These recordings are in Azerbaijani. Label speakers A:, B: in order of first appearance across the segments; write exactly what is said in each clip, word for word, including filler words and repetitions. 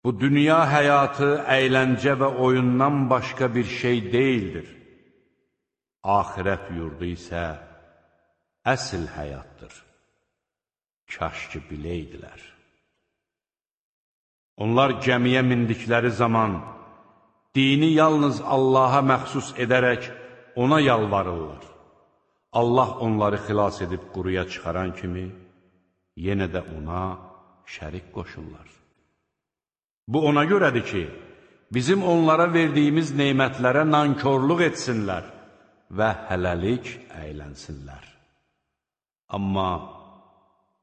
A: Bu dünya həyatı əyləncə və oyundan başqa bir şey deyildir. Axirət yurdu isə əsl həyatdır. Kaş ki biləydilər. Onlar gəmiyə mindikləri zaman dini yalnız Allaha məxsus edərək ona yalvarırlar. Allah onları xilas edib quruya çıxaran kimi yenə də ona şərik qoşurlar. Bu ona görədir ki, bizim onlara verdiyimiz neymətlərə nankorluq etsinlər və hələlik əylənsinlər. Amma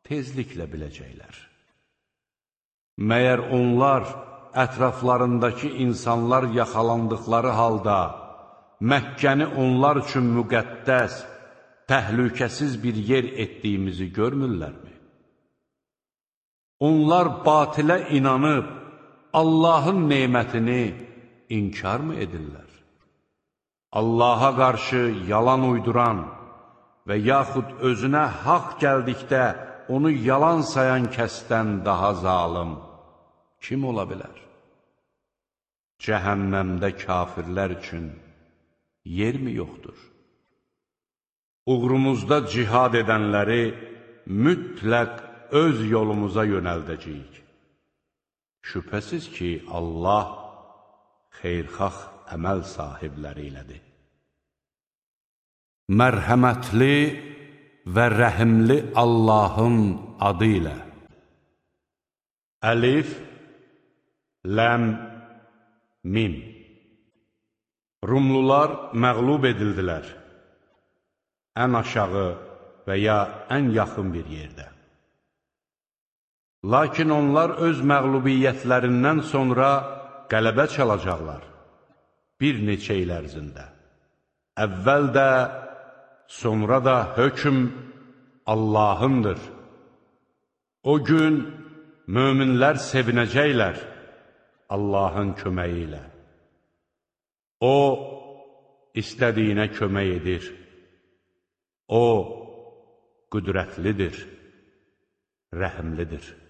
A: tezliklə biləcəklər. Məyər onlar ətraflarındakı insanlar yaxalandıqları halda Məkkəni onlar üçün müqəddəs, təhlükəsiz bir yer etdiyimizi görmürlərmi? Onlar batilə inanıb Allahın neymətini inkar mı edirlər? Allaha qarşı yalan uyduran və yaxud özünə haqq gəldikdə onu yalan sayan kəsdən daha zalım kim ola bilər? Cəhənnəmdə kafirlər üçün yer mi yoxdur? Uğrumuzda cihad edənləri mütləq öz yolumuza yönəldəcəyik. Şübhəsiz ki, Allah xeyrxax əməl sahibləri ilədir. Mərhəmətli və rəhimli Allahın adı ilə. Əlif, Ləm, Mim. Rumlular məğlub edildilər. Ən aşağı və ya ən yaxın bir yerdə. Lakin onlar öz məğlubiyyətlərindən sonra qələbə çalacaqlar. Bir neçə il ərzində. Əvvəl də, sonra da hökm Allahındır. O gün möminlər sevinəcəklər Allahın köməyi ilə. O, istədiyinə kömək edir. O, qüdrətlidir, rəhimlidir.